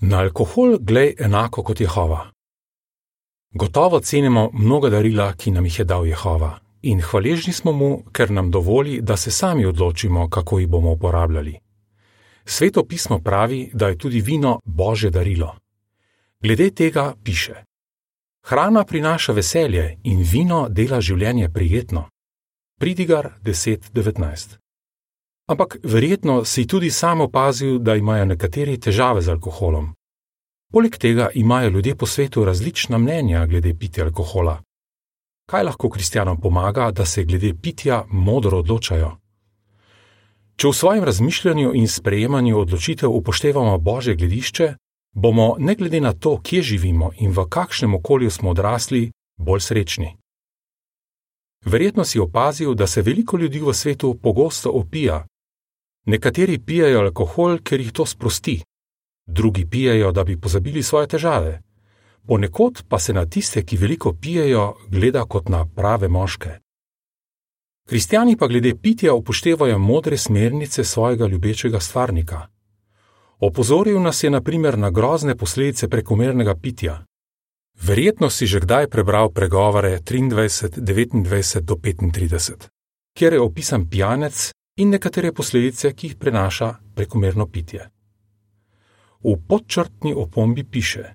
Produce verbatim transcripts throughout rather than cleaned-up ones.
Na alkohol glej enako kot Jehova. Gotovo cenimo mnoga darila, ki nam jih je dal Jehova, in hvaležni smo mu, ker nam dovoli, da se sami odločimo, kako jih bomo uporabljali. Sveto pismo pravi, da je tudi vino Božje darilo. Glede tega piše: hrana prinaša veselje in vino dela življenje prijetno. Pridigar deset devetnajst. Ampak verjetno si tudi sam opazil, da imajo nekateri težave z alkoholom. Poleg tega imajo ljudje po svetu različna mnenja glede pitja alkohola. Kaj lahko kristjanom pomaga, da se glede pitja modro odločajo? Če v svojem razmišljanju in sprejemanju odločitev upoštevamo Božje gledišče, bomo ne glede na to, kje živimo in v kakšnem okolju smo odrasli, bolj srečni. Verjetno si opazil, da se veliko ljudi v svetu pogosto opija. Nekateri pijejo alkohol, ker jih to sprosti. Drugi pijejo, da bi pozabili svoje težave. Ponekod pa se na tiste, ki veliko pijejo, gleda kot na prave moške. Kristjani pa glede pitja upoštevajo modre smernice svojega ljubečega stvarnika. Opozoril nas je na primer na grozne posledice prekomernega pitja. Verjetno si že kdaj prebral pregovore triindvajset devetindvajset do petintrideset, kjer je opisan pijanec in nekatere posledice, ki jih prenaša prekomerno pitje. V podčrtni opombi piše: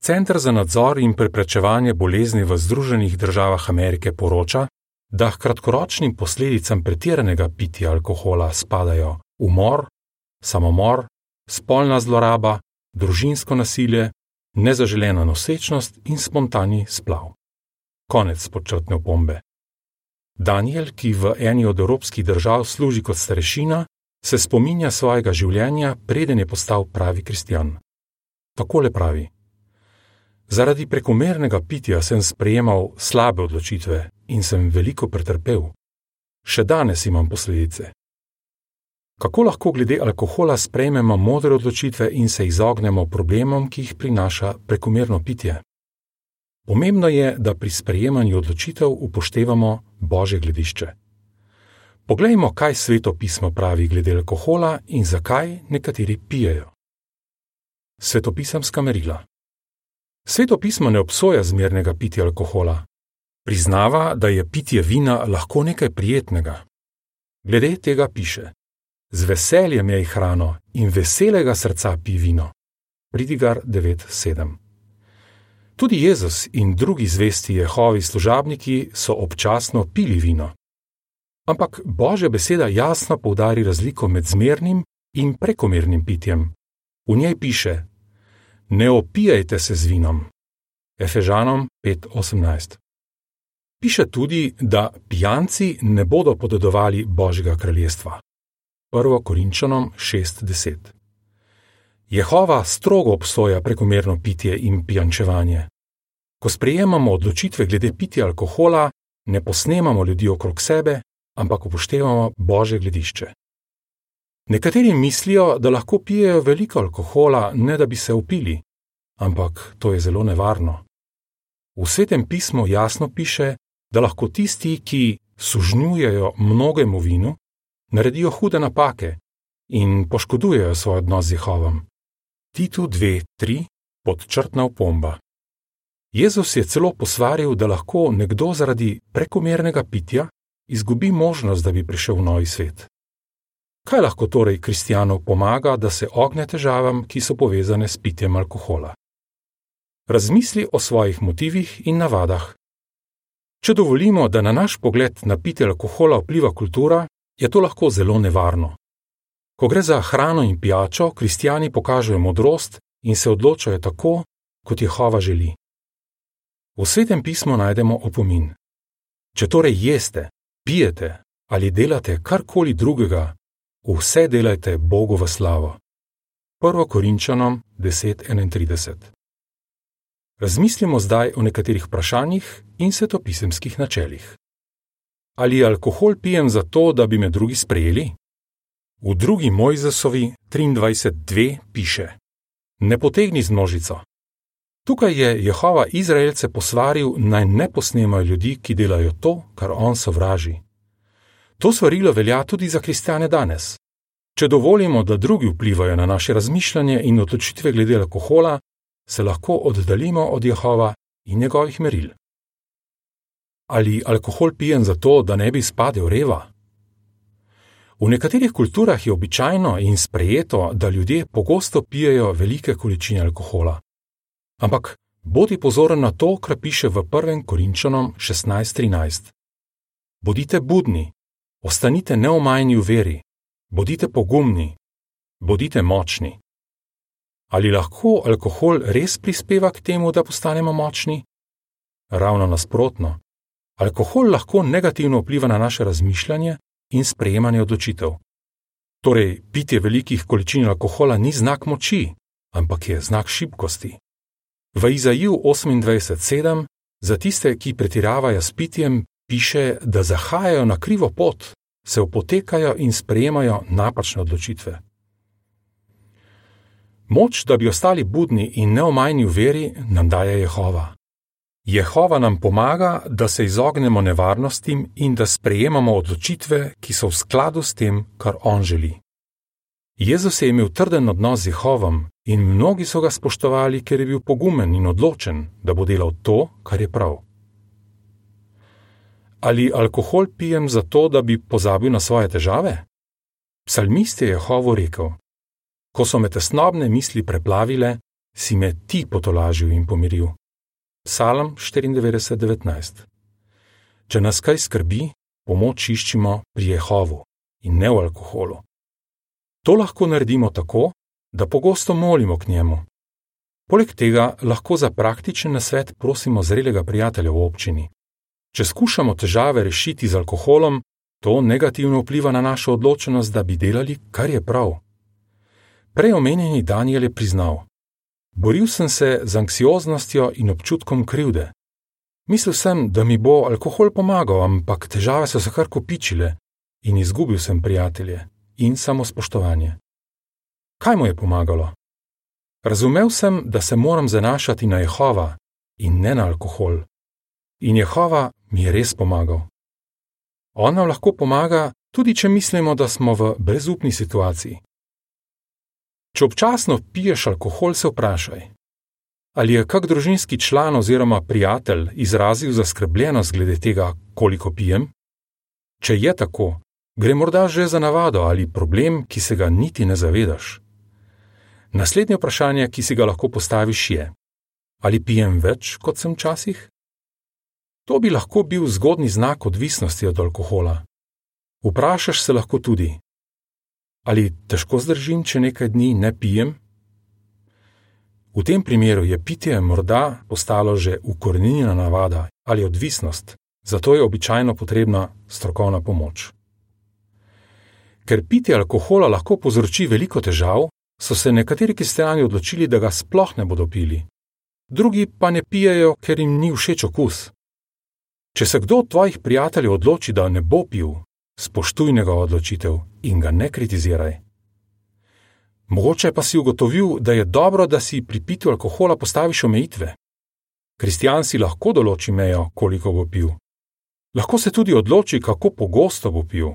Center za nadzor in preprečevanje bolezni v Združenih državah Amerike poroča, da k kratkoročnim posledicam pretiranega pitja alkohola spadajo umor, samomor, spolna zloraba, družinsko nasilje, nezaželena nosečnost in spontani splav. Konec podčrtne opombe. Daniel, ki v eni od evropskih držav služi kot starešina, se spominja svojega življenja, preden je postal pravi kristjan. Takole pravi: Zaradi prekomernega pitja sem sprejemal slabe odločitve in sem veliko pretrpel. Še danes imam posledice. Kako lahko glede alkohola sprejmemo modre odločitve in se izognemo problemom, ki jih prinaša prekomerno pitje? Pomembno je, da pri sprejemanju odločitev upoštevamo Božje gledišče. Poglejmo, kaj Sveto pismo pravi glede alkohola in zakaj nekateri pijejo. Svetopisemska merila. Sveto pismo ne obsoja zmernega pitja alkohola. Priznava, da je pitje vina lahko nekaj prijetnega. Glede tega piše: Z veseljem jej hrano in veselega srca pi vino. Pridigar devet sedem. Tudi Jezus in drugi zvesti Jehovi služabniki so občasno pili vino. Ampak Božja beseda jasno poudari razliko med zmernim in prekomernim pitjem. V njej piše: Ne opijajte se z vinom. Efežanom pet osemnajst. Piše tudi, da pijanci ne bodo podedovali Božjega kraljestva. prvo Korinčanom šest deset. Jehova strogo obsoja prekomerno pitje in pijančevanje. Ko sprejemamo odločitve glede pitja alkohola, ne posnemamo ljudi okrog sebe, ampak upoštevamo Božje gledišče. Nekateri mislijo, da lahko pijejo veliko alkohola, ne da bi se opili, ampak to je zelo nevarno. V Svetem pismu jasno piše, da lahko tisti, ki sužnjujejo mnogemu vinu, naredijo hude napake in poškodujejo svoj odnos z Jehovom. Titu dve tri, podčrtna opomba. Jezus je celo posvaril, da lahko nekdo zaradi prekomernega pitja izgubi možnost, da bi prišel v novi svet. Kaj lahko torej kristjanu pomaga, da se ogne težavam, ki so povezane s pitjem alkohola? Razmisli o svojih motivih in navadah. Če dovolimo, da na naš pogled na pitje alkohola vpliva kultura, je to lahko zelo nevarno. Ko gre za hrano in pijačo, kristjani pokažejo modrost in se odločajo tako, kot Jehova želi. V Svetem pismu najdemo opomin: Če torej jeste, pijete ali delate karkoli drugega, vse delajte Bogu v slavo. prvo Korinčanom deset enaintrideset. Razmislimo zdaj o nekaterih vprašanjih in svetopisemskih načelih. Ali alkohol pijem zato, da bi me drugi sprejeli? V drugi Mojzesovi triindvajset dve piše: Ne potegni z množico. Tukaj je Jehova Izraelce posvaril, naj ne posnemajo ljudi, ki delajo to, kar on sovraži. To svarilo velja tudi za kristjane danes. Če dovolimo, da drugi vplivajo na naše razmišljanje in odločitve glede alkohola, se lahko oddaljimo od Jehova in njegovih meril. Ali alkohol pijem zato, da ne bi izpadel reva? V nekaterih kulturah je običajno in sprejeto, da ljudje pogosto pijejo velike količine alkohola. Ampak bodi pozoren na to, kar piše v prvem Korinčanom šestnajst trinajst. Bodite budni, ostanite neomajni v veri, bodite pogumni, bodite močni. Ali lahko alkohol res prispeva k temu, da postanemo močni? Ravno nasprotno. Alkohol lahko negativno vpliva na naše razmišljanje in sprejemanje odločitev. Torej, pitje velikih količin alkohola ni znak moči, ampak je znak šibkosti. V Izajiju osemindvajset sedem za tiste, ki pretiravajo s pitjem, piše, da zahajajo na krivo pot, se opotekajo in sprejemajo napačne odločitve. Moč, da bi ostali budni in neomajni v veri, nam daje Jehova. Jehova nam pomaga, da se izognemo nevarnostim in da sprejemamo odločitve, ki so v skladu s tem, kar on želi. Jezus je imel trden odnos z Jehovom in mnogi so ga spoštovali, ker je bil pogumen in odločen, da bo delal to, kar je prav. Ali alkohol pijem zato, da bi pozabil na svoje težave? Psalmist je Jehovu rekel: Ko so me tesnobne misli preplavile, si me ti potolažil in pomiril. Psalm štiriindevetdeset devetnajst. Če nas kaj skrbi, pomoč iščimo pri Jehovu in ne v alkoholu. To lahko naredimo tako, da pogosto molimo k njemu. Poleg tega lahko za praktičen nasvet prosimo zrelega prijatelja v občini. Če skušamo težave rešiti z alkoholom, to negativno vpliva na našo odločenost, da bi delali, kar je prav. Prej omenjeni Daniel je priznal: Boril sem se z anksioznostjo in občutkom krivde. Mislil sem, da mi bo alkohol pomagal, ampak težave so se kar kopičile in izgubil sem prijatelje in samospoštovanje. Kaj mu je pomagalo? Razumel sem, da se moram zanašati na Jehova in ne na alkohol. In Jehova mi je res pomagal. On nam lahko pomaga, tudi če mislimo, da smo v brezupni situaciji. Če občasno piješ alkohol, se vprašaj, ali je kak družinski član oziroma prijatelj izrazil zaskrbljenost glede tega, koliko pijem? Če je tako, gre morda že za navado ali problem, ki se ga niti ne zavedaš. Naslednje vprašanje, ki si ga lahko postaviš, je: ali pijem več, kot sem včasih? To bi lahko bil zgodnji znak odvisnosti od alkohola. Vprašaš se lahko tudi: ali težko zdržim, če nekaj dni ne pijem? V tem primeru je pitje morda postalo že ukoreninjena navada ali odvisnost, zato je običajno potrebna strokovna pomoč. Ker pitje alkohola lahko povzroči veliko težav, so se nekateri kristjani odločili, da ga sploh ne bodo pili. Drugi pa ne pijejo, ker jim ni všeč okus. Če se kdo od tvojih prijateljev odloči, da ne bo pil, spoštuj njegovo odločitev in ga ne kritiziraj. Mogoče pa si ugotovil, da je dobro, da si pri pitju alkohola postaviš omejitve. Kristjan si lahko določi mejo, koliko bo pil. Lahko se tudi odloči, kako pogosto bo pil.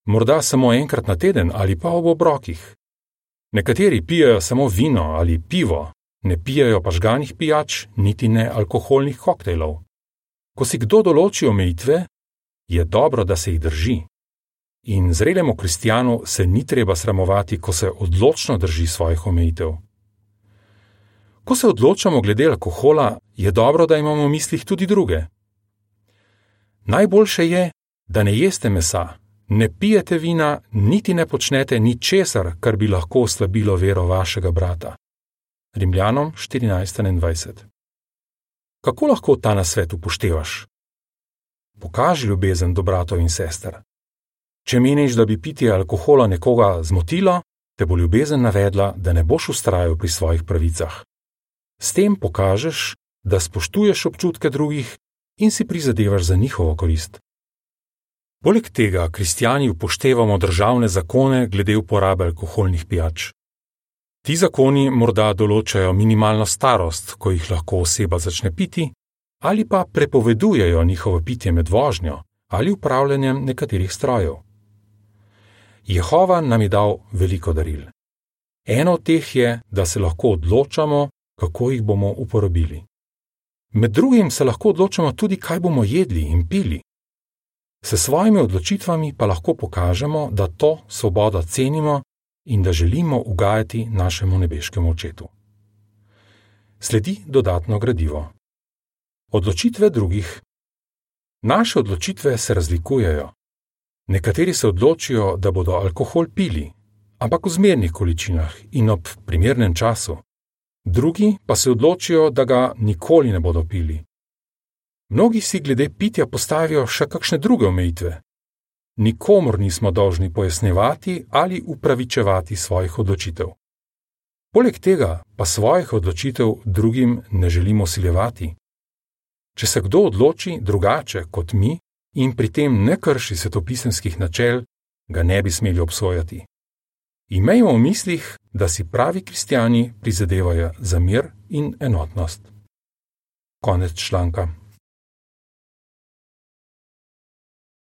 Morda samo enkrat na teden ali pa ob obrokih. Nekateri pijejo samo vino ali pivo, ne pijejo pa žganih pijač, niti ne alkoholnih koktejlov. Ko si kdo določi omejitve, je dobro, da se jih drži. In zrelemu kristjanu se ni treba sramovati, ko se odločno drži svojih omejitev. Ko se odločamo glede alkohola, je dobro, da imamo v mislih tudi druge. Najboljše je, da ne jeste mesa, ne pijete vina, niti ne počnete ničesar, kar bi lahko oslabilo vero vašega brata. Rimljanom štirinajst enaindvajset. Kako lahko ta nasvet upoštevaš? Pokaži ljubezen do bratov in sester. Če meniš, da bi pitje alkohola nekoga zmotilo, te bo ljubezen navedla, da ne boš vztrajal pri svojih pravicah. S tem pokažeš, da spoštuješ občutke drugih in si prizadevaš za njihovo korist. Poleg tega kristjani upoštevamo državne zakone glede uporabe alkoholnih pijač. Ti zakoni morda določajo minimalno starost, ko jih lahko oseba začne piti, ali pa prepovedujejo njihovo pitje med vožnjo ali upravljanjem nekaterih strojev. Jehova nam je dal veliko daril. Eno od teh je, da se lahko odločamo, kako jih bomo uporabili. Med drugim se lahko odločamo tudi, kaj bomo jedli in pili. S svojimi odločitvami pa lahko pokažemo, da to svobodo cenimo in da želimo ugajati našemu nebeškemu Očetu. Sledi dodatno gradivo. Odločitve drugih. Naše odločitve se razlikujejo. Nekateri se odločijo, da bodo alkohol pili, ampak v zmernih količinah in ob primernem času. Drugi pa se odločijo, da ga nikoli ne bodo pili. Mnogi si glede pitja postavijo še kakšne druge omejitve. Nikomur nismo dolžni pojasnjevati ali upravičevati svojih odločitev. Poleg tega pa svojih odločitev drugim ne želimo siljevati. Če se kdo odloči drugače kot mi in pri tem ne krši svetopisemskih načel, ga ne bi smeli obsojati. Imejmo v mislih, da si pravi kristjani prizadevajo za mir in enotnost. Konec članka.